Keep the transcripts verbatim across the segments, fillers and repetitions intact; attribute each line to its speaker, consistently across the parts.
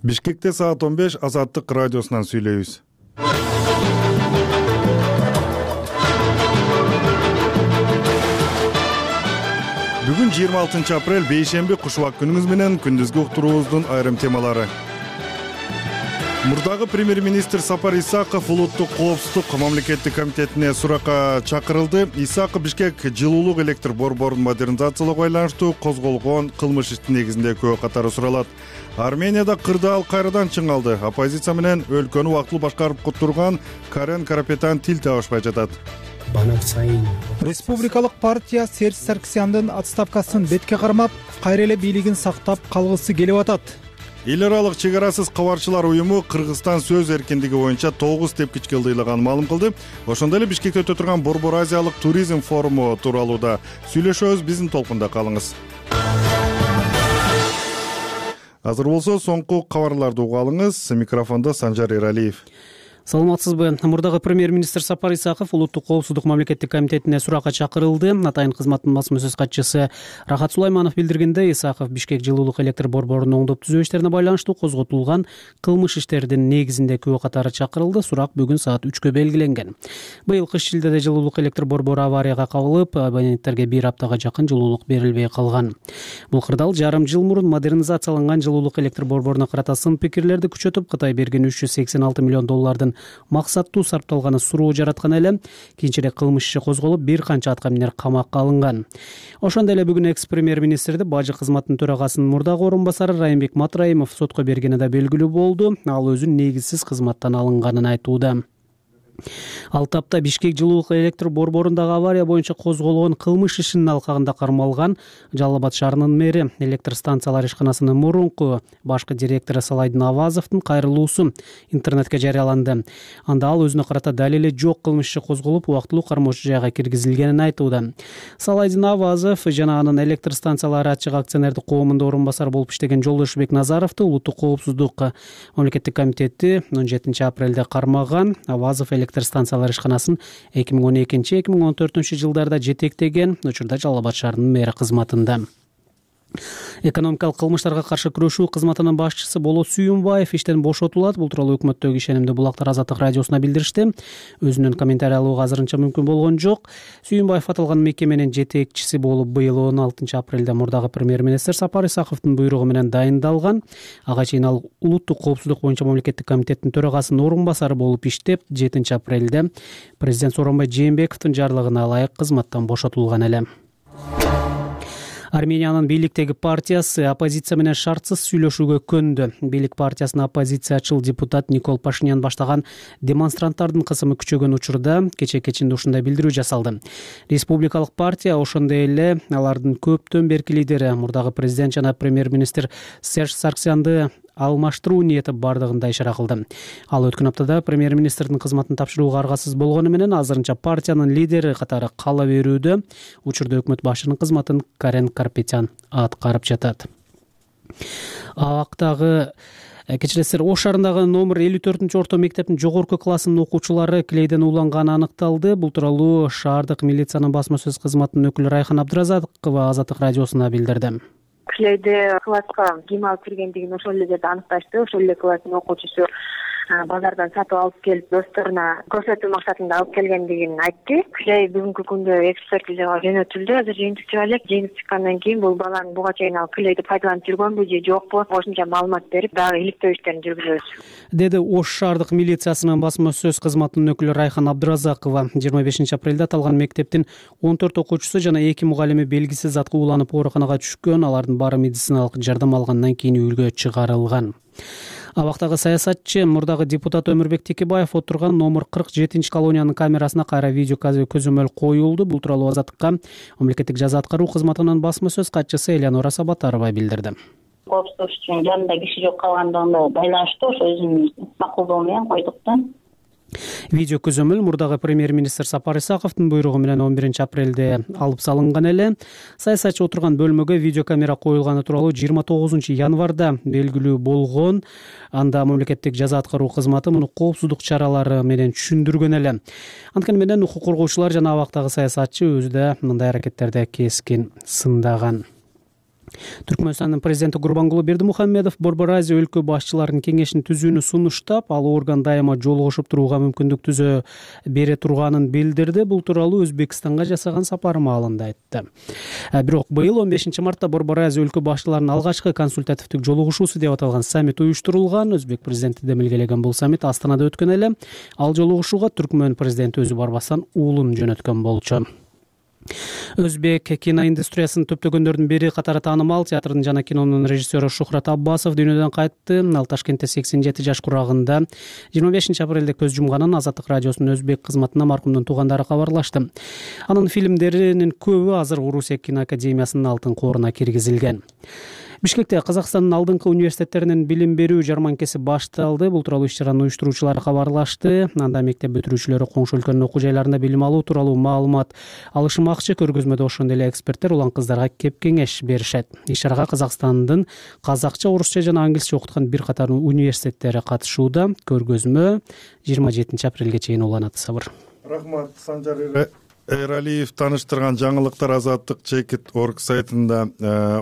Speaker 1: Бишкекте саат он беш Азаттык радиосунан сүйлөйбүз. Бүгүн жыйырма алтынчы апрель бейшемби кушубак күнүңүз менен күндүзгү уктуруубуздун айрым темалары. Мурдагы премьер-министр Сапар Исаков улуттук коопсуздук мамлекеттик комитетине суракка чакырылды. Исаков Бишкек жылуулук электр борборун модернизациялоого байланыштуу козголгон кылмыш иштин негизинде күбө катары суралат. Арменияда кырдаал кайрадан чыңалды. Оппозиция менен өлкөнү убактылуу башкарып турган Карен Карапетян тил табышпай жатат.
Speaker 2: Республикалык партия Серж Саркисяндын отставкасын бетке кармап, кайра эле бийлигин сактап калгысы келип атат.
Speaker 1: Эл аралык чек арасыз кабарчылар уюму Кыргызстан сөз эркиндиги боюнча тогуз тепкичке ылдыйлаганын маалым кылды. Ошондой эле Бишкекте өтө турган Борбор Азиялык туризм форуму тууралуу да сүйлөшөбүз. Биздин толкунда калыңыз. Азыр болсо соңку кабарларды угуп алыңыз. Микрофондо Санжар Эралиев.
Speaker 3: Саламатсызбы? Мурдагы премьер-министр Сапар Исаков улуттук коопсуздук мамлекеттик комитетине суракка чакырылды. Атайын кызматтын басма сөз катчысы Рахат Сулайманов билдиргендей, Исаков Бишкек жылуулук электр борборунун оңдоп түзөө иштерине байланыштуу козготулган кылмыш иштердин негизинде күбө катары чакырылды. Сурак бүгүн саат үчкө белгиленген. Быйыл кыш шилдеде жылуулук электр борбору аварияга кабылып, абоненттерге бир аптага жакын жылуулук берилбей калган. Бул кырдаал жарым жыл мурун модернизацияланган жылуулук электр борборуна карата сын пикирлерди күчөтүп, Кытай берген үч жүз сексен алты миллион доллардын максаттуу сарпталганы суроо жараткан эле. Кийинчерээк кылмыш иши козголуп, бир канча атка минер камакка алынган. Ошондой эле бүгүн экс премьер-министрди бажы кызматынын төрагасынын мурдагы орун басары Райымбек Матраимов сотко бергени да белгилүү болду. Ал өзүн негизсиз кызматтан алынганын айтууда. Ал тапта Бишкек жылуулук электр борборундагы авария боюнча козголгон кылмыш ишинин алкагында кармалган Жалал Абад шаарынын мэри, электр станциялар ишканасынын мурунку башкы директору Салайдын Авазовдун кайрылуусу интернетке жарыяланды. Анда ал өзүнө карата далили жок кылмыш иши козголуп, убактылуу кармоочу жайга киргизилгенин айтууда. Салайдын Авазов жана анын электр станциялары ачык акционердик коомунда орун басар болуп иштеген Жолдошбек Назаровду улуттук коопсуздук мамлекеттик комитети он жетинчи апрелде кармаган. Авазов электр станциялар ишканасын эки миң он экинчи эки миң он төртүнчү жылдарда жетектеген, учурда Жалал Абад шаарынын мэри кызматында. Экономикалык кылмыштарга каршы күрөшүү кызматынын башчысы Болот Сүйүнбаев иштен бошотулат. Бул тууралуу өкмөттөгү ишенимди булактар Азаттык радиосуна билдиришти. Өзүнүн комментарий алууга азырынча мүмкүн болгон жок. Сүйүнбаев аталган мекеменин жетекчиси болуп быйыл он алтынчы апрелде мурдагы премьер-министр Сапар Исаковдун буйругу менен дайындалган. Ага чейин ал улуттук коопсуздук боюнча мамлекеттик комитеттин төрагасынын орун басары болуп иштеп, жетинчи апрелде президент Сооронбай Жээнбековдун жарлыгына ылайык кызматтан бошотулган эле. Армениянын бийликтеги партиясы оппозиция менен шартсыз сүйлөшүүгө көндү. Бийлик партиясынын оппозициячыл депутат Никол Пашинян баштаган демонстранттардын кысымы күчөгөн учурда кечээ кечинде ушундай билдирүү жасалды. Республикалык партия ошондой эле алардын көптөн берки лидери, мурдагы президент жана премьер-министр Серж Саркисянды алмаштыруу ниети бардыгында ишара кылды. Ал өткөн аптада премьер-министрдин кызматын тапшырууга аргасыз болгону менен азырынча партиянын лидери катары кала берүүдө. Учурда өкмөт башчынын кызматын Карен Карапетян аткарып жатат. Абактагы Кечиресиздер, Ош шаарындагы номер элүү төртүнчү орто мектептин жогорку классынын окуучулары клейден ууланганы аныкталды. Бул тууралуу шаардык милициянын басма сөз кызматынын өкүлү Райхан Абдыразакова Азаттык радиосуна билдирди.
Speaker 4: Клейде класска кийим алып киргендигин ошол эле жерде аныкташты. Ошол эле класстын окуучусу базардан сатып алып келип досторуна көрсөтүү максатында алып келгендигин айтты. Клей бүгүнкү күндө экспертизага жөнөтүлдү. Азыр жыйынтык чыга элек. Жыйынтык чыккандан кийин бул баланын буга чейин ал клейди пайдаланып жүргөнбү же жокпу, кошумча маалымат берип, дагы иликтөө иштерин жүргүзөбүз,
Speaker 3: деди Ош шаардык милициясынын басма сөз кызматынын өкүлү Райхан Абдыразакова. жыйырма бешинчи апрелде аталган мектептин он төрт окуучусу жана эки мугалими белгисиз затка ууланып ооруканага түшкөн. Алардын баары медициналык жардам алгандан кийин үйгө чыгарылган. Абактагы саясатчы, мурдагы депутат Өмүрбек Текебаев отурган номер кырк жетинчи колониянын камерасына кайра видео көзөмөл коюлду. Бул тууралуу Азаттыкка мамлекеттик жаза аткаруу кызматынын басма сөз катчысы Элеонора Сабатарова билдирди.
Speaker 5: Коопсуздук үчүн жанында киши жок калгандыгына байланыштуу ошо өзүнүн макулдугу менен койдук да.
Speaker 3: Видео көзөмөл мурдагы премьер-министр Сапар Исаковдун буйругу менен он биринчи апрелде алып салынган эле. Саясатчы отурган бөлмөгө видеокамера коюлганы тууралуу жыйырма тогузунчу январда белгилүү болгон. Анда мамлекеттик жаза аткаруу кызматы муну коопсуздук чаралары менен түшүндүргөн эле. Анткени менен укук коргоочулар жана абактагы саясатчы өзү да мындай аракеттерди кескин сындаган. Түркмөнстандын президенти Гурбангулы Бердимухамедов Борбор Азия өлкө башчыларынын кеңешин түзүүнү сунуштап, ал орган дайыма жолугушуп турууга мүмкүндүк түзө бере турганын билдирди. Бул тууралуу Өзбекстанга жасаган сапары маалында айтты. Бирок быйыл он бешинчи мартта Борбор Азия өлкө башчыларынын алгачкы консультативдик жолугушуусу деп аталган саммит уюштурулган. Өзбек президенти демилгелеген бул саммит Астанада өткөн эле. Ал жолугушууга Түркмөн президенти өзү барбастан уулун жөнөткөн болчу. Өзбек киноиндустриясынын төптөгөндөрдүн бири катары таанымал театрдын жана кинонун режиссеру Шухрат Аббасов дүйнөдөн кайтты. Ал Ташкентте сексен жети жаш курагында жыйырма бешинчи апрелде көз жумганын Азаттык радиосунун өзбек кызматына маркумдун туугандары кабарлашты. Анын фильмдеринин көбү азыр Орусия киноакадемиясынын алтын кооруна киргизилген. Бишкекте Казакстандын алдыңкы университеттеринин билим берүү жарманкеси башталды. Бул тууралуу иш-чаранын уюштуруучулары кабарлашты. Анда мектеп бүтүрүүчүлөрү коңшу өлкөнүн окуу жайларында билим алуу тууралуу маалымат алышмакчы. Көргөзмөдө ошондой эле эксперттер улан кыздарга кеп кеңеш беришет. Иш-чарага Казакстандын казакча, орусча жана англисче окуткан бир катар университеттери катышууда. Көргөзмө жыйырма жетинчи апрелге чейин уланат. Сабыр.
Speaker 1: Рахмат, Санжар Эралиев таныштырган жаңылыктар Азаттык чекит точка орг сайтында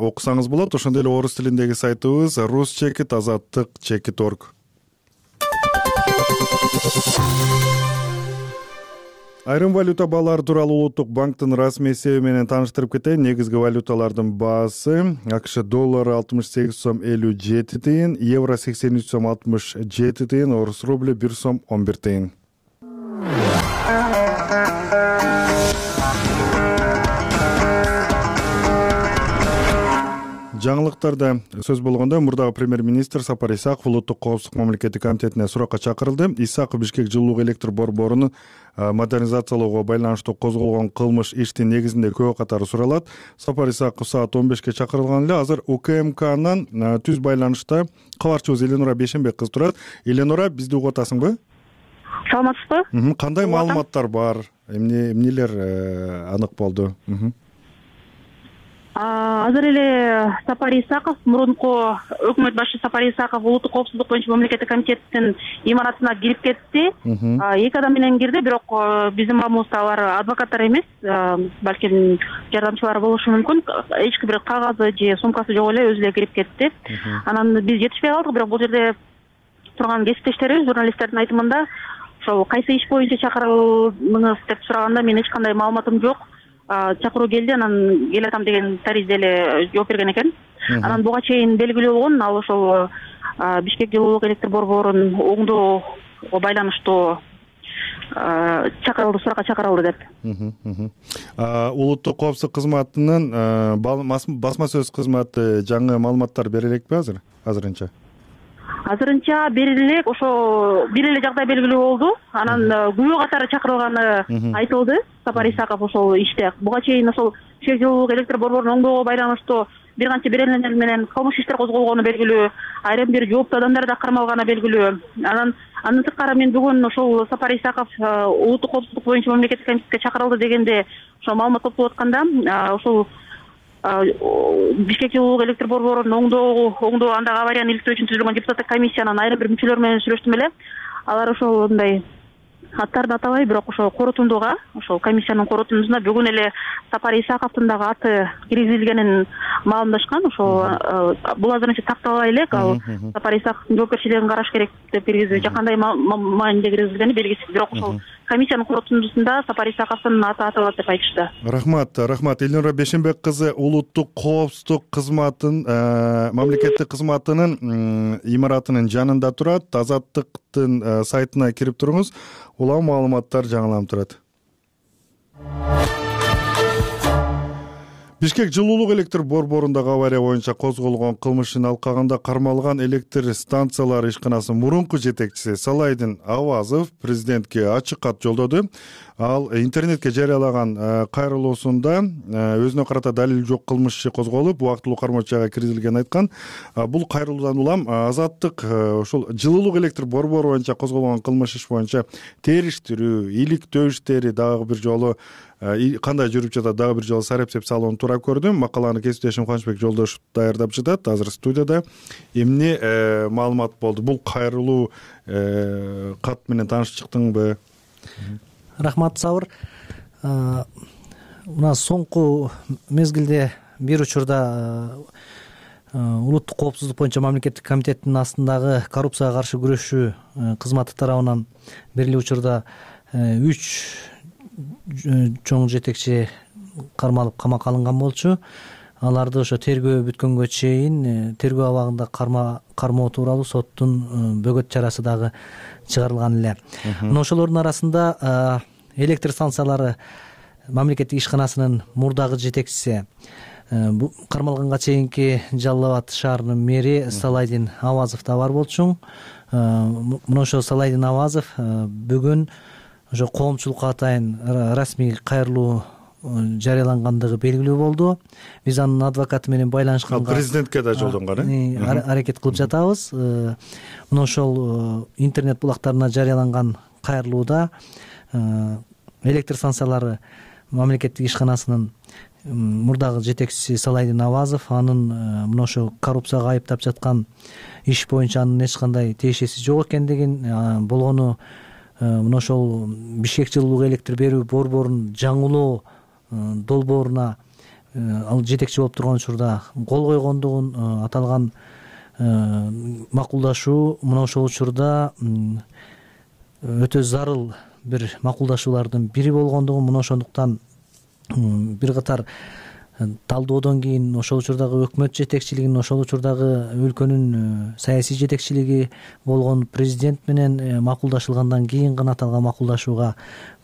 Speaker 1: окусаңыз болот. Ошондой эле орус тилиндеги сайтыбыз рус чекит азаттык чекит точка орг. Айрым валюта баалары тууралуу Улуттук банктын расмий эсеби менен тааныштырып кетейин. Негизги валюталардын баасы: АКШ доллары алтымыш сегиз сом элүү жети тыйын, евро сексен үч сом алтымыш жети тыйын, орус рубли бир сом он бир тыйын. Жаңылыктарда сөз болгондо мурдагы премьер-министр Сапар Исаков Улуттук коопсуздук мамлекеттик комитетине суракка чакырылды. Исаков Бишкек жылуулук электр борборун модернизациялоого байланыштуу козголгон кылмыш иштин негизинде көбү катары суралат. Сапар Исаков саат он бешке чакырылган эле. Азыр УКМКнан түз байланышта кабарчыбыз Эленора Бешенбек кыз турат. Эленора, бизди угуп атасыңбы?
Speaker 6: Саламатсызбы?
Speaker 1: Кандай маалыматтар бар? Эмне эмнелер анык болду?
Speaker 6: Азыр эле Сапар Исаков, мурунку өкмөт башчы Сапар Исаков улуттук коопсуздук боюнча мамлекеттик комитеттин имаратына кирип кетти. Эки адам менен кирди, бирок биздин маалыматыбызда алар адвокаттар эмес, балким жардамчылары болушу мүмкүн. Эч бир кагазы же сумкасы жок эле, өзү эле кирип кетти. Анан биз жетишпей калдык, бирок бул жерде турган кесиптештерибиз, журналисттердин айтымында ошол кайсы иш боюнча чакырылдыңыз деп сураганда мен эч кандай маалыматым жок. Чакыруу келди, анан келатам деген таризде эле жооп берген экен. Анан буга чейин белгилүү болгон, ал ошол Бишкек жылуулук электр борборун оңдоого байланыштуу чакырылды, суракка чакырылды деп.
Speaker 1: Улуттук коопсуздук кызматынын басма сөз кызматы жаңы маалыматтар бере элекпи азыр? Азырынча?
Speaker 6: Азырынча бериле элек, ошо бир эле жагдай белгилүү болду. Анан күбө катары чакырылганы айтылды. Сапар Исаков ошол иште буга чейин ошол Бишкек жылуулук электр борборун оңдоого байланыштуу бир канча беренелер менен кылмыш иштер козголгону белгилүү, айрым бир жооптуу адамдар да кармалганы белгилүү. Анан андан тышкары мен бүгүн ошол Сапар Исаков улуттук коопсуздук боюнча мамлекеттик комитетке чакырылды дегенде ошол маалымат топтоп атканда, ошол Бишкек жылуулук электр борборун оңдоо оңдоо андагы аварияны иликтөө үчүн түзүлгөн депутаттык комиссиянын айрым бир мүчөлөр менен сүйлөштүм эле. Алар ошол мындай аттарды атабай, бирок ошол корутундуга, ошол комиссиянын корутундусуна бүгүн эле Сапар Исаковдун дагы аты киргизилгенин маалымдашкан. Ошол бул азырынча такталбай элек, ал Сапар Исаковдун жоопкерчилигин караш керек деп киргизүү, жакандай мааниде киргизилгени белгисиз. Бирок ошол комиссиянын корутундусунда Сапар Исаковдун аты аталат деп айтышты.
Speaker 1: Рахмат, рахмат. Элнура Бешенбек кызы улуттук коопсуздук кызматын мамлекеттик кызматынын имаратынын жанында турат. Азаттыктын сайтына кирип туруңуз. Улам маалыматтар жаңыланып турат. Бишкек жылуулук электр борборундагы авария боюнча козголгон кылмышын алкагында кармалган электр станциялары ишканасынын мурунку жетекчиси Салайдин Авазов президентке ачык кат жолдоду. Ал интернетке жарыялаган кайрылуусунда өзүнө карата далил жок кылмыш иши козголуп, убактылуу кармоо жайга киргизилгенин айткан. Бул кайрылуудан улам Азаттык ушул жылуулук электр борбору боюнча козголгон кылмыш иш боюнча териштирүү, иликтөө иштери дагы бир жолу кандай жүрүп жатат, дагы бир жолу сарапсеп салууну туура көрдүм. Макаланы кесиптешим Кубанычбек Жолдошев даярдап жатат. Азыр студияда эмне маалымат болду? Бул кайрылуу кат менен таанышып чыктыңбы?
Speaker 7: Рахмат, Сабыр. Мына соңку мезгилде бир учурда улуттук коопсуздук боюнча мамлекеттик комитеттин астындагы коррупцияга каршы күрөшүү кызматы тарабынан бир эле учурда үч чоң жетекчи кармалып камакка алынган болчу. Аларды ошо тергөө бүткөнгө чейин тергөө абагында кармоо тууралуу соттун бөгөт чарасы дагы чыгарылган эле. Мына ошолордун арасында электр станциялары мамлекеттик ишканасынын мурдагы жетекчиси, кармалганга чейинки Жалал Абад шаарынын мэри Салайдин Авазов да бар болчу. Мына ошо Салайдин Авазов бүгүн ошо коомчулукка атайын расмий кайрылуу жарыялангандыгы белгилүү болду. Биз анын адвокаты менен байланышканга
Speaker 1: президентке да жолдонгон э
Speaker 7: аракет кылып жатабыз. Мына ошол интернет булактарына жарыяланган кайрылууда электр станциялары мамлекеттик ишканасынын мурдагы жетекчиси Салайдин Авазов анын мына ошо коррупцияга айыптап жаткан иш боюнча анын эч кандай тиешеси жок экендигин, болгону мына ошол Бишкек жылуулук электр берүү борборунун жаңылоо долбооруна ал жетекчи болуп турган учурда кол койгондугун, аталган макулдашуу мына ошол учурда өтө зарыл бир макулдашуулардын бири болгондугун, мына ошондуктан бир катар талдоодон кийин ошол учурдагы өкмөт жетекчилигинин, ошол учурдагы өлкөнүн саясий жетекчилиги болгон президент менен макулдашылгандан кийин гана аталган макулдашууга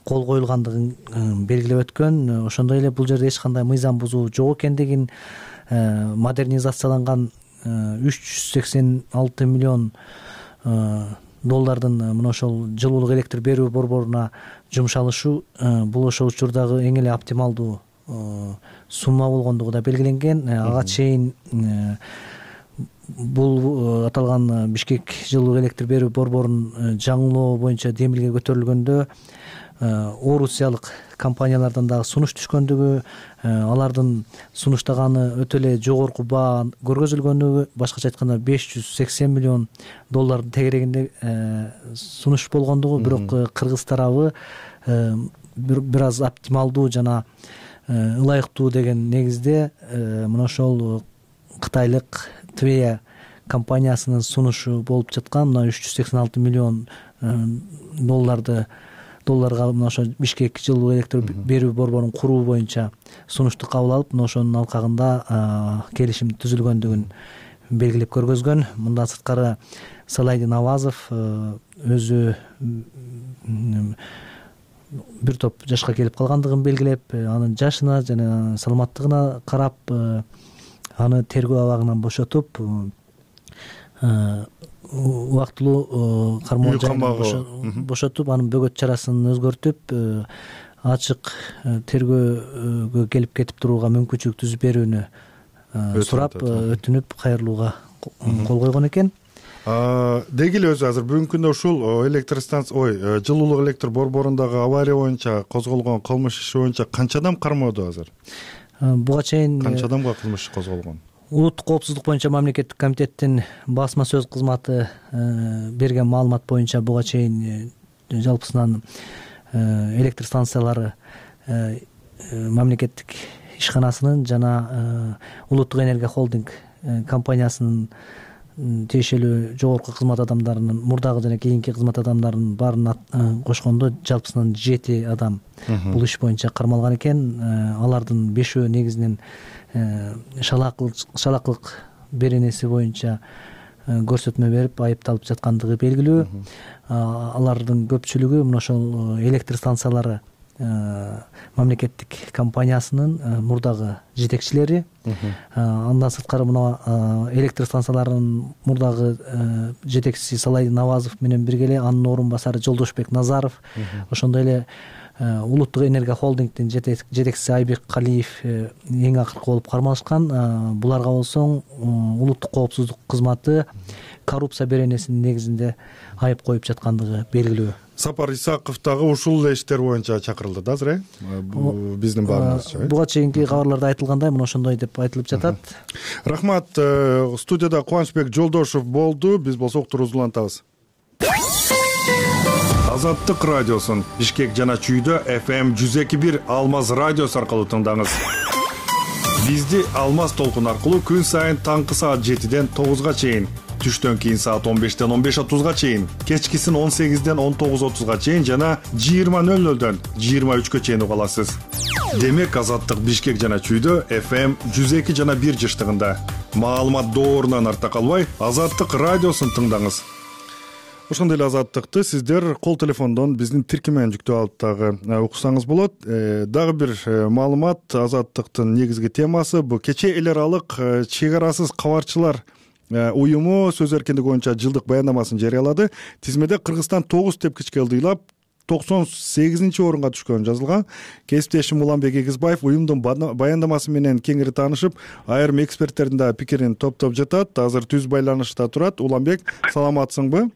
Speaker 7: кол коюлгандыгын белгилеп өткөн. Ошондой эле бул жерде эч кандай мыйзам бузуу жок экендигин, модернизацияланган үч жүз сексен алты миллион доллардын мына ошол жылуулук электр берүү борборуна жумшалышы бул ошол учурдагы эң эле оптималдуу сумма болгондугу да белгиленген. Ага чейин бул аталган Бишкек жылуулук электр берүү борборунун жаңылоо боюнча демилге көтөрүлгөндө орусиялык компаниялардан дагы сунуш түшкөндүгү, алардын сунуштаганы өтө эле жогорку баа көргөзүлгөндүгү, башкача айтканда беш жүз сексен миллион доллардын тегерегинде сунуш болгондугу, бирок кыргыз тарабы бир аз оптималдуу жана ылайыктуу деген негизде мына ошол кытайлык Твея компаниясынын сунушу болуп жаткан мына үч жүз сексен алты миллион долларды долларга мына ошо Бишкек жылуу электр берүү борборун куруу боюнча сунушту кабыл алып, мына ошонун алкагында келишим түзүлгөндүгүн белгилеп көргөзгөн. Мындан сырткары Салайдин Авазов өзү бир топ жашка келип калгандыгын белгилеп, анын жашына жана саламаттыгына карап аны тергөө абагынан бошотуп, убактылуу кармоо жайынан бошотуп, анын бөгөт чарасын өзгөртүп, ачык тергөөгө келип кетип турууга мүмкүнчүлүк түзүп берүүнү сурап, өтүнүп кайрылууга кол койгон экен.
Speaker 1: Деги эле өзү азыр бүгүнкү күндө ушул электр станция, ой, жылуулук электр борборундагы авария боюнча козголгон кылмыш иши боюнча канча адам кармоодо азыр?
Speaker 7: Буга чейин
Speaker 1: канча адамга кылмыш иши козголгон?
Speaker 7: Улуттук коопсуздук боюнча мамлекеттик комитеттин басма сөз кызматы берген маалымат боюнча буга чейин жалпысынан электр станциялары мамлекеттик ишканасынын жана Улуттук энергия холдинг компаниясынын тиешелүү жогорку кызмат адамдарынын, мурдагы жана кийинки кызмат адамдарынын баарын кошкондо жалпысынан жети адам бул иш боюнча кармалган экен. Алардын бешөө негизинен шалакылык беренеси боюнча көрсөтмө берип айыпталып жаткандыгы белгилүү. Алардын көпчүлүгү мына ошол электр станциялары мамлекеттик компаниясынын мурдагы жетекчилери. Андан сырткары мына электр станцияларынын мурдагы жетекчиси Салайдин Авазов менен бирге эле анын орун басары Жолдошбек Назаров, ошондой эле Улуттук энергия холдингдин жетекчиси Айбек Калиев эң акыркы болуп кармалышкан. Буларга болсоң улуттук коопсуздук кызматы коррупция беренесинин негизинде айып коюп жаткандыгы белгилүү.
Speaker 1: Сапар Исаков дагы ушул эле иштер боюнча чакырылды да азыр, э? Биздин баарыбызча.
Speaker 7: Буга чейинки кабарларда айтылгандай мына ошондой деп айтылып жатат.
Speaker 1: Рахмат. Студияда Кубанычбек Жолдошев болду. Биз болсок уктурубузду улантабыз. Азаттык радиосун Бишкек жана Чүйдө эф эм жүз эки бир Алмаз радиосу аркылуу тыңдаңыз. Бизди Алмаз толкун аркылуу күн сайын таңкы саат жетиден тогузга чейин, түштөн кийин саат он бештен он беш отузга чейин, кечкисин он сегизден он тогуз отузга чейин жана жыйырма нөл нөлдөн жыйырма үчкө чейин уга аласыз. Демек Азаттык Бишкек жана Чүйдө эф эм жүз эки жана бир жыштыгында. Маалымат доорунан артта калбай, Азаттык радиосун тыңдаңыз. Ошондой эле Азаттыкты сиздер кол телефондон биздин тиркемен жүктөп алып дагы уксаңыз болот. Дагы бир маалымат, Азаттыктын негизги темасы бул кечээ эл аралык чек арасыз кабарчылар уюму сөз эркиндиги боюнча жылдык баяндамасын жарыялады. Тизмеде Кыргызстан тогуз тепкичке ылдыйлап токсон сегизинчи орунга түшкөнү жазылган. Кесиптешим Уланбек Эгизбаев уюмдун баяндамасы менен кеңири таанышып, айрым эксперттердин да пикирин топтоп жатат. Азыр түз байланышта турат. Уланбек, саламатсыңбы?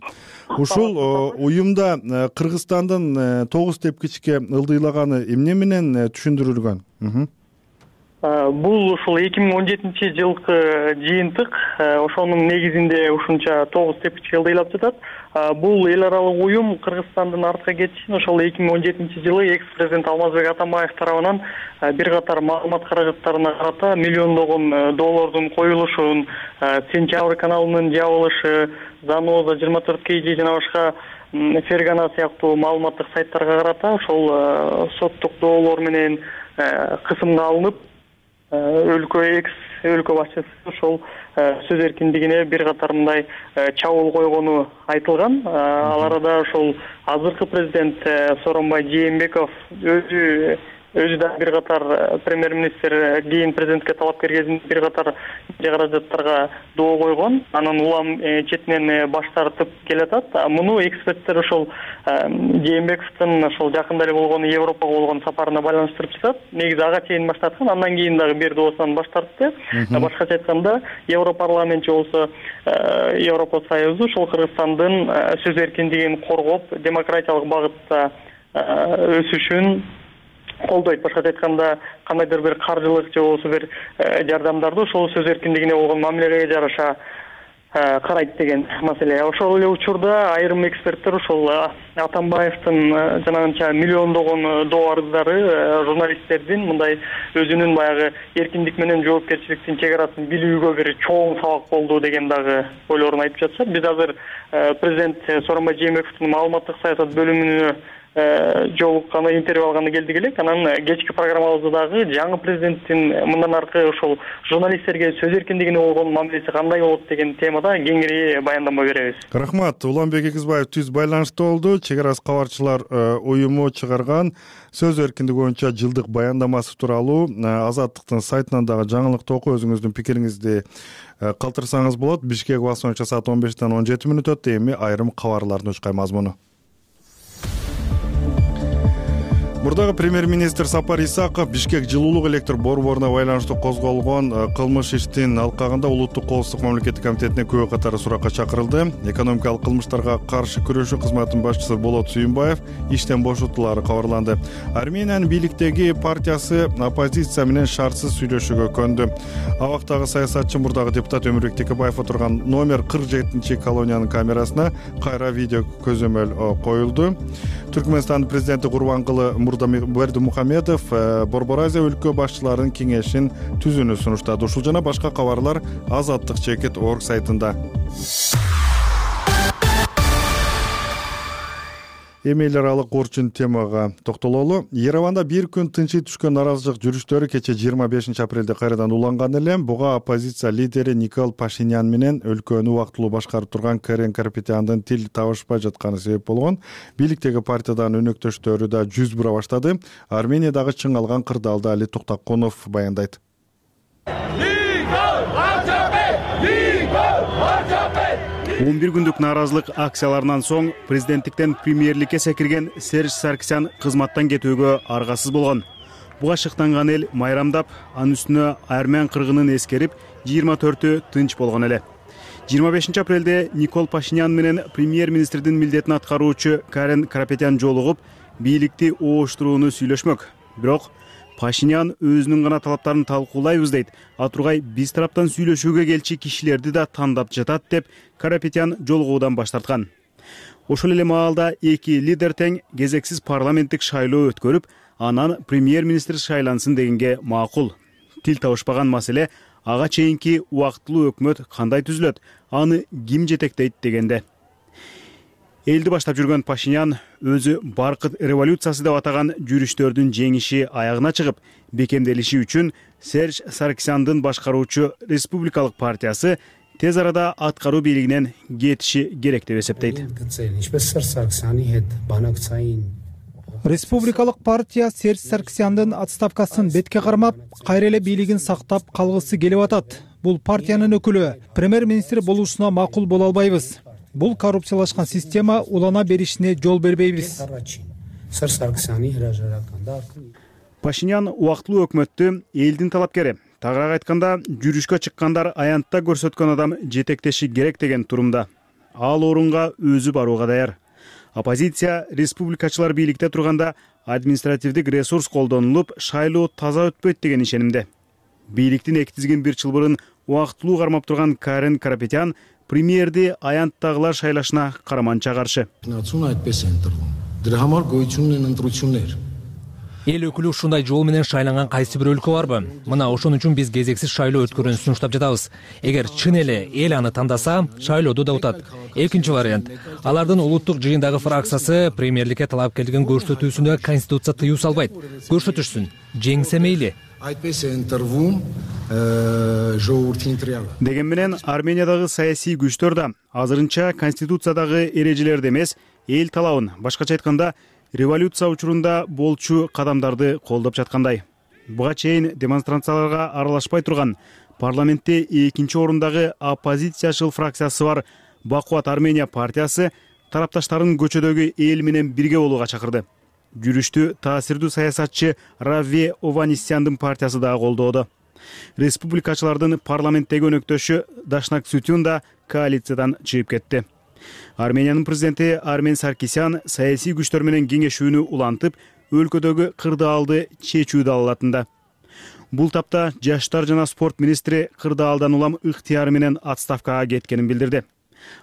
Speaker 1: Ушул уюмда Кыргызстандын тогуз тепкичке ылдыйлаганы эмне менен түшүндүрүлгөн?
Speaker 8: Бул ушул эки миң он жетинчи жылкы жыйынтык, ошонун негизинде ушунча тогуз тепкичке ылдыйлап жатат. Бул эл аралык уюм Кыргызстандын артка кетишин ошол эки миң он жетинчи жылы экс-президент Алмазбек Атамбаев тарабынан бир катар маалымат каражаттарына карата миллиондогон доллардын коюлушун, Сентябрь каналынын жабылышы, Заноза жыйырма төрт кей жи жана башка Фергана сыяктуу маалыматтык сайттарга карата ошол соттук доолор менен кысымга алынып, өлкө экс өлкө башчысы ошол сөз эркиндигине бир катар мындай чабуул койгону айтылган. Ал арада ошол азыркы президент Сооронбай Жээнбеков өзү өзү да бир катар премьер-министр кийин президентке талапкер кезинде бир катар каражаттарга доо койгон. Анан улам четинен баш тартып келатат. Муну эксперттер ошол Жээнбековдун ошол жакында эле болгон Европага болгон сапарына байланыштырып жатат. Негизи ага чейин баш тарткан, андан кийин дагы бир доосунан баш тартты. Башкача айтканда, Европарламентчи болсо Европа Союзу ошол Кыргызстандын сөз эркиндигин коргоп, демократиялык багытта өсүшүн колдойт. Башкача айтканда, кандайдыр бир каржылык же болбосо бир жардамдарды ошол сөз эркиндигине болгон мамилеге жараша карайт деген маселе. Ошол эле учурда айрым эксперттер ошол Атамбаевдин жанагынча миллиондогон доо арыздары журналисттердин мындай өзүнүн баягы эркиндик менен жоопкерчиликтин чек арасын билүүгө бир чоң сабак болду деген дагы ойлорун айтып жатышат. Биз азыр президент Сооронбай Жээнбековдун маалыматтык саясат бөлүмүнө жолукканы, интервью алганы келдик элек. Анан кечки программабызда дагы жаңы президенттин мындан аркы ошол журналисттерге сөз эркиндигине болгон мамилеси кандай болот деген темада кеңири баяндама беребиз.
Speaker 1: Рахмат. Уланбек Эгизбаев түз байланышта болду. Чек арасы кабарчылар уюму чыгарган сөз эркиндиги боюнча жылдык баяндамасы тууралуу Азаттыктын сайтынан дагы жаңылыкты окуп өзүңүздүн пикириңизди калтырсаңыз болот. Бишкек убакыты боюнча саат он бештен он жети мүнөт өттү. Эми айрым кабарлардын учкай мазмуну. Мурдагы премьер-министр Сапар Исаков Бишкек жылуулук электр борборуна байланыштуу козголгон кылмыш иштин алкагында Улуттук коопсуздук мамлекеттик комитетине күбө катары суракка чакырылды. Экономикалык кылмыштарга каршы күрөшүү кызматынын башчысы Болот Сүйүнбаев иштен бошотулары кабарланды. Армениянын бийликтеги партиясы оппозиция менен шартсыз сүйлөшүүгө көндү. Абактагы саясатчы мурдагы депутат Өмүрбек Текебаев отурган номер кырк жетинчи колониянын камерасына кайра видео көзөмөл коюлду. Түркмөнстандын президенти Курбангулы Бердимухамедов Борбор Азия өлкө башчыларынын кеңешин түзүүнү сунуштады. Ушул жана башка кабарлар Азаттык чекит точка орг сайтында. Эми эл аралык орчун темага токтололу. Ереванда бир күн тынчый түшкөн нааразычылык жүрүштөрү кече жыйырма бешинчи апрелде кайрадан уланган эле. Буга оппозиция лидери Никол Пашинян менен өлкөнү убактылуу башкарып турган Карен Карапетяндын тил табышпай жатканы себеп болгон. Бийликтеги партиядан өнөктөштөрү да жүз бура баштады. Армениядагы чың алган кырдаалда Али Токтоконов баяндайт.
Speaker 9: он бир күндүк нааразылык акцияларынан соң президенттиктен премьерликке секирген Серж Саркисян кызматтан кетүүгө аргасыз болгон. Буга шыктанган эл майрамдап, анын үстүнө армян кыргынын эскерип, жыйырма төртү тынч болгон эле. жыйырма бешинчи апрелде Никол Пашинян менен премьер-министрдин милдетин аткаруучу Карен Карапетян жолугуп, бийликти ооштурууну сүйлөшмөк. Бирок Пашинян өзүнүн гана талаптарын талкуулайбыз дейт. Атургай биз тараптан сүйлөшүүгө келчи кишилерди да тандап жатат деп Карапетян жолугуудан баш тарткан. Ошол эле маалда эки лидер тең кезексиз парламенттик шайлоо өткөрүп, анан премьер-министр шайлансын дегенге макул. тил табышпаган маселе ага чейинки убактылуу өкмөт кандай түзүлөт, аны ким жетектейт дегенде. Элди баштап жүргөн Пашинян өзү баркыт революциясы деп атаган жүрүштөрдүн жеңиши аягына чыгып, бекемделиши үчүн Серж Саркисяндын башкаруучу Республикалык партиясы тез арада аткаруу бийлигинен кетиши керек деп эсептейт.
Speaker 2: Республикалык партия Серж Саркисяндын отставкасын бетке кармап, кайра эле бийлигин сактап калгысы келип атат. Бул партиянын өкүлү премьер-министр болушуна макул боло албайбыз. Бул коррупциялашкан система улана беришине жол бербейбиз.
Speaker 9: Пашинян убактылуу өкмөттү элдин талапкери, тагыраак айтканда жүрүшкө чыккандар аянтта көрсөткөн адам жетектеши керек деген турумда. Ал орунга өзү барууга даяр. Оппозиция республикачылар бийликте турганда административдик ресурс колдонулуп, шайлоо таза өтпөйт деген ишенимде. Бийликтин эки тизгин бир чылбырын убактылуу кармап турган Карен Карапетян премьерди аянттагылар шайлашына караманча каршы.
Speaker 10: Эл өкүлү ушундай жол менен шайланган кайсы бир өлкө барбы? Мына ошон үчүн биз кезексиз шайлоо өткөрүүнү сунуштап жатабыз. Эгер чын эле эл аны тандаса, шайлоодо да утат. Экинчи вариант. Алардын улуттук жыйындагы фракциясы премьерликке талапкерлигин көрсөтүүсүнө конституция тыюу салбайт. Көрсөтүшсүн. Жеңсе мейли.
Speaker 9: Деген менен Армениядагы саясий күчтөр да азырынча конституциядагы эрежелерди эмес, эл талабын, башкача айтканда, революция учурунда болчу кадамдарды колдоп жаткандай. Буга чейин демонстрацияларга аралашпай турган, парламентте экинчи орундагы оппозициячыл фракциясы бар Бакубат Армения партиясы тарапташтарын көчөдөгү эл менен бирге болууга чакырды. Жүрүштү таасирдүү саясатчы Раве Ованисяндын партиясы да колдоодо. Республикачылардын парламенттеги өнөктөшү Дашнак Сутюн да коалициядан чыгып кетти. Армениянын президенти Армен Саркисян саясий күчтөр менен кеңешүүнү улантып, өлкөдөгү кырдаалды чечүүдү алатында. Бул тапта жаштар жана спорт министри кырдаалдан улам ыктыяры менен отставкага кеткенин билдирди.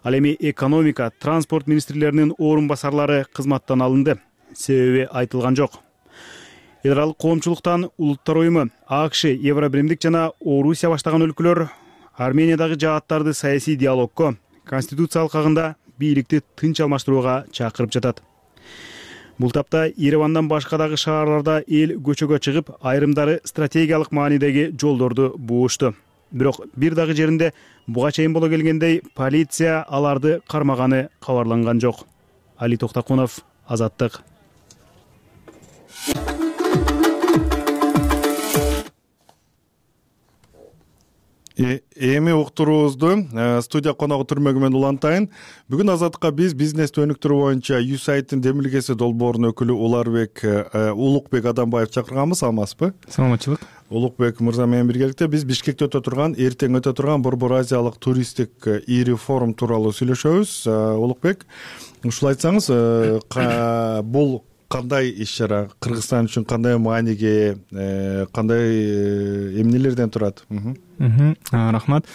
Speaker 9: Ал эми экономика, транспорт министрлеринин орун басарлары кызматтан алынды. Себеби айтылган жок. Эл аралык коомчулуктан Улуттар уюму, АКШ, Евробиримдик жана Орусия баштаган өлкөлөр Армениядагы жааттарды саясий диалогко, конституция алкагында бийликти тынч алмаштырууга чакырып жатат. Бул тапта Еревандан башка дагы шаарларда эл көчөгө чыгып, айрымдары стратегиялык маанидеги жолдорду буушту. Бирок бир дагы жеринде буга чейин боло келгендей полиция аларды кармаганы кабарланган жок. Али Токтакунов, Азаттык.
Speaker 1: Эми уктуруубузду студия коногу Түрмөгү мен улантайын. Бүгүн Азаттыкка биз бизнести өнүктүрүү боюнча юсайттын демилгеси долбоорунун өкүлү Уларбек Улукбек Адамбаев чакырганбыз, саламатсызбы?
Speaker 11: Саламатчылык.
Speaker 1: Улукбек мырза менен биргеликте биз Бишкекте өтө турган, эртең өтө турган Борбор Азиялык туристтик ири форум тууралуу сүйлөшөбүз. Улукбек, ушул айтсаңыз, бул кандай иш-чара, Кыргызстан үчүн кандай мааниге, кандай эмнелерден турат?
Speaker 11: Рахмат.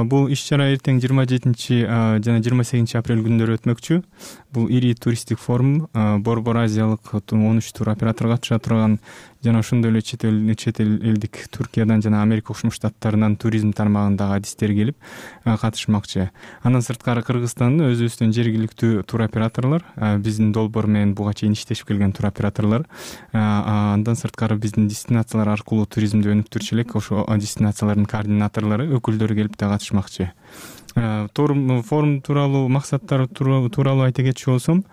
Speaker 11: Бул иш-чара эртең жыйырма жетинчи жана жыйырма сегизинчи апрель күндөрү өтмөкчү. Бул ири туристтик форум Борбор Азиялык он үч тур оператор катыша турган жана ошондой эле чет эл чет элдик Түркиядан жана Америка Кошмо Штаттарынан туризм тармагындагы адистер келип катышмакчы. Андан сырткары Кыргызстандын өзүбүздүн жергиликтүү тур операторлор, биздин долбоор менен буга чейин иштешип келген тур операторлор, андан сырткары биздин дестинациялар аркылуу туризмди өнүктүрчү элек ошо дестинациялардын координаторлору, өкүлдөрү келип да катышмакчы. Форум тууралуу максаттары тууралуу айта кетчү болсом,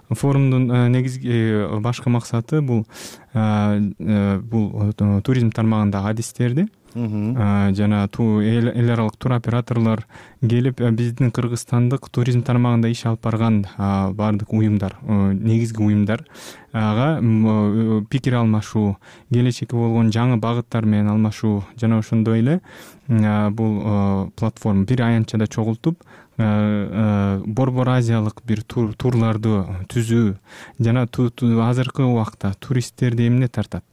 Speaker 11: форумдун негизги башкы максаты бул бул туризм тармагындагы адистерди жана эл аралык тур операторлор келип биздин кыргызстандык туризм тармагында иш алып барган баардык уюмдар, негизги уюмдар ага пикир алмашуу, келечекке болгон жаңы багыттар менен алмашуу жана ошондой эле бул платформа бир аянтчада чогултуп Борбор Азиялык бир турларды түзүү жана азыркы убакта туристтерди эмне тартат,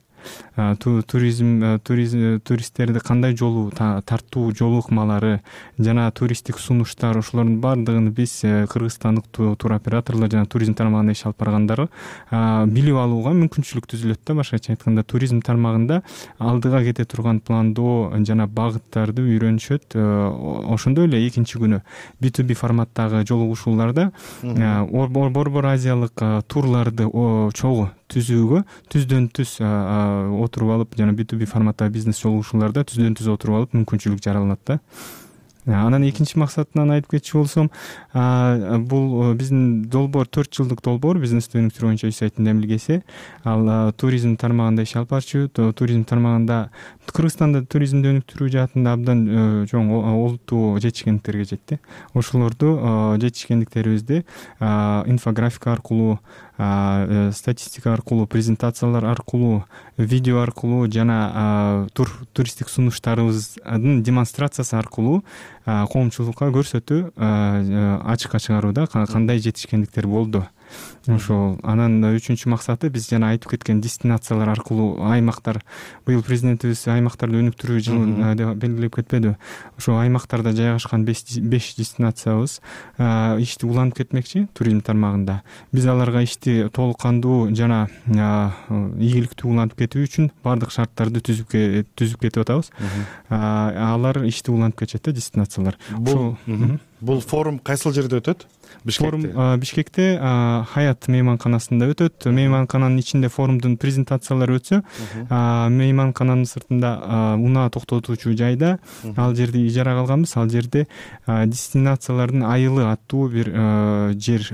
Speaker 11: туризм туристтерди кандай жолу тартуу жол ыкмалары жана туристтик сунуштар ошолордун баардыгын биз кыргызстандык туроператорлор жана туризм тармагында иш алып баргандар билип алууга мүмкүнчүлүк түзүлөт да. Башкача айтканда туризм тармагында алдыга кете турган пландоо жана багыттарды үйрөнүшөт. Ошондой эле экинчи күнү би ту би форматтагы жолугушууларда Борбор Азиялык турларды чогуу түзүүгө түздөн түз отуруп алып жана би ту би форматтагы бизнес жолугушууларда түздөн түз отуруп алып мүмкүнчүлүк жаралат да. Анан экинчи максатынан айтып кетчү болсом, бул биздин долбоор төрт жылдык долбоор, бизнести өнүктүрүү боюнча үч сайттын демилгеси. Ал туризм тармагында иш алып барчу. Туризм тармагында Кыргызстанда туризмди өнүктүрүү жаатында абдан чоң олуттуу жетишкендиктерге жетти. Ошолорду жетишкендиктерибизди инфографика аркылуу, статистика аркылуу, презентациялар аркылуу, видео аркылуу жана туристтик сунуштарыбыздын демонстрациясы аркылуу коомчулукка көрсөтүү, ачыкка чыгарууда кандай жетишкендиктер болду. Ошол анан үчүнчү максаты биз жана айтып кеткен дестинациялар аркылуу аймактар, быйыл президентибиз аймактарды өнүктүрүү жылын белгилеп кетпеди. Ошо аймактарда жайгашкан беш дестинациябыз ишти улантып кетмекчи туризм тармагында. Биз аларга ишти толук кандуу жана ийгиликтүү улантып кетүү үчүн баардык шарттарды түзүп түзүп кетип атабыз. Алар ишти улантып кетишет да, дестинациялар.
Speaker 1: Бул бул форум кайсыл жерде өтөт?
Speaker 11: Форум Бишкекте Хаят мейманканасында өтөт. Мейманкананын ичинде форумдун презентациялары өтсө, мейманкананын сыртында унаа токтотуучу жайда ал жерди ижарага алганбыз. Ал жерде дестинациялардын айылы аттуу бир жер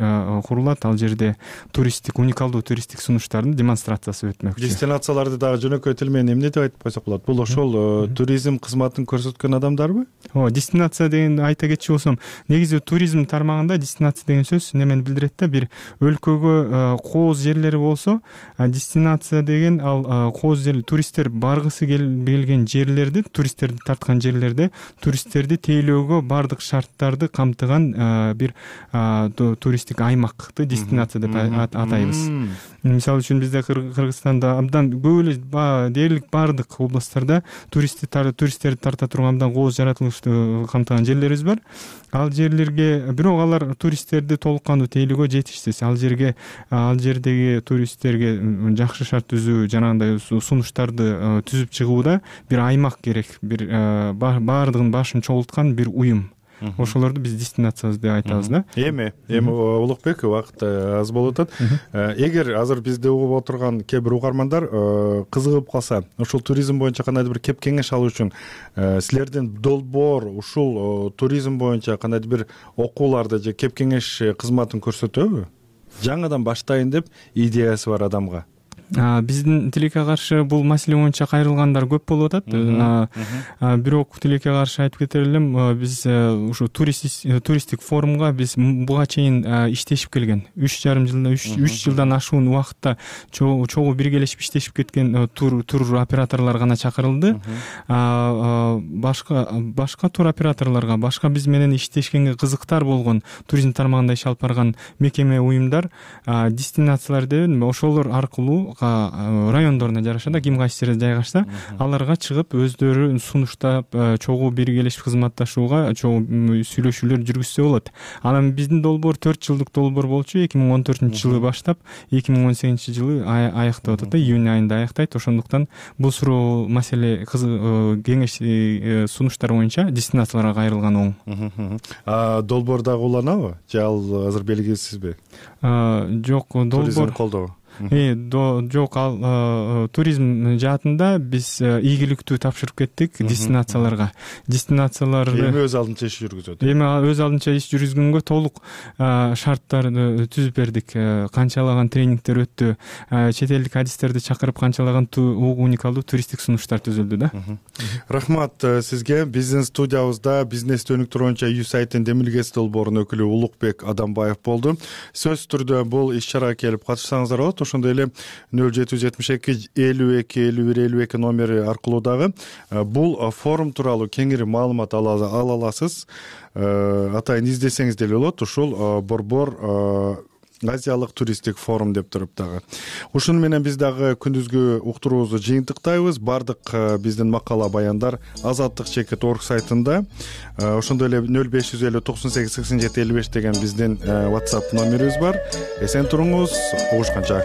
Speaker 11: курулат. Ал жерде туристтик, уникалдуу туристтик сунуштардын демонстрациясы өтмөкчү.
Speaker 1: Дестинацияларды дагы жөнөкөй тил менен эмне деп айтып койсок болот? Бул ошол туризм кызматын көрсөткөн адамдарбы?
Speaker 11: Ооба, дестинация деген айта кетчү болсом, негизи туризм тармагында дестинация деген сөз немени билдирет да, бир өлкөгө кооз жерлери болсо, дестинация деген ал кооз жер, туристтер баргысы келген жерлерди, туристтерди тарткан жерлерде туристтерди тейлөөгө баардык шарттарды камтыган бир туристтик аймакты дестинация деп атайбыз. Мисалы үчүн бизде Кыргызстанда абдан көп эле дээрлик баардык областтарда туристтерди тарта турган абдан кооз жаратылышты камтыган жерлерибиз бар. Ал жерлерге бирок алар туристтерди толук кандуу тейлөөгө жетишсиз. Ал жерге ал жердеги туристтерге жакшы шарт түзүү жанагындай сунуштарды түзүп чыгууда бир аймак керек, бир баардыгын башын чогулткан бир уюм. Ошолорду биз дестинациябыз деп айтабыз да.
Speaker 1: Эми, эми Улукбек, убакыт аз болуп атат. Эгер азыр бизди угуп отурган кээ бир угармандар кызыгып калса, ушул туризм боюнча кандайдыр бир кеп кеңеш алуу үчүн силердин долбоор ушул туризм боюнча кандайдыр бир окууларды же кеп кеңеш кызматын көрсөтөбү? Жаңыдан баштайын деп идеясы бар адамга.
Speaker 11: Биздин тилекке каршы бул маселе боюнча кайрылгандар көп болуп атат. Бирок тилекке каршы айтып кетер элем, биз ушу туристтик форумга биз буга чейин иштешип келген. үч жарым жылда үч жылдан ашуун убакытта чогуу биргелешип иштешип кеткен тур операторлор гана чакырылды. Башка башка тур операторлорго, башка биз менен иштешкенге кызыктар болгон туризм тармагында иш алып барган мекеме, уюмдар, дестинациялар деп ошолор аркылуу райондоруна жараша да, ким кайсы жерде жайгашса, аларга чыгып өздөрү сунуштап, чогуу биргелешип кызматташууга, чогуу сүйлөшүүлөр жүргүзсө болот. Анан биздин долбоор төрт жылдык долбоор болчу. эки миң он төртүнчү жылы баштап, эки миң он сегизинчи жылы аяктап атат да, июнь айында аяктайт. Ошондуктан бул суроо маселе кеңеш сунуштар боюнча дестинацияларга кайрылган оң.
Speaker 1: Долбоор дагы уланабы? Же ал азыр белгисизби?
Speaker 11: Жок, долбоор
Speaker 1: туризм колдоо.
Speaker 11: Жок, ал туризм жаатында биз ийгиликтүү тапшырып кеттик дестинацияларга. Дестинацияларды
Speaker 1: эми өз алдынча иш жүргүзөт.
Speaker 11: Эми өз алдынча иш жүргүзгөнгө толук шарттарды түзүп бердик. Канчалаган тренингдер өттү, чет элдик адистерди чакырып канчалаган уникалдуу туристтик сунуштар түзүлдү да.
Speaker 1: Рахмат сизге. Бизнес студиябызда бизнести өнүктүрүү боюнча үй сайттын демилгеси долбоорунун өкүлү Улукбек Адамбаев болду. Сөзсүз түрдө бул иш чарага келип катышсаңыздар болот. Ошондой эле нөл жети жүз жетимиш эки элүү эки элүү бир элүү эки номери аркылуу дагы бул форум тууралуу кеңири маалымат ала аласыз. Атайын издесеңиз деле болот. Ушул борбор азиялык туристтик форум деп туруп дагы. Ушуну менен биз дагы күндүзгү уктуруубузду жыйынтыктайбыз. Бардык биздин макала баяндар азаттык чекит орг сайтында. Ошондой эле нөл беш жүз элүү токсон сегиз сексен жети элүү беш деген биздин WhatsApp номерибиз бар. Эсен туруңуз, угушканча.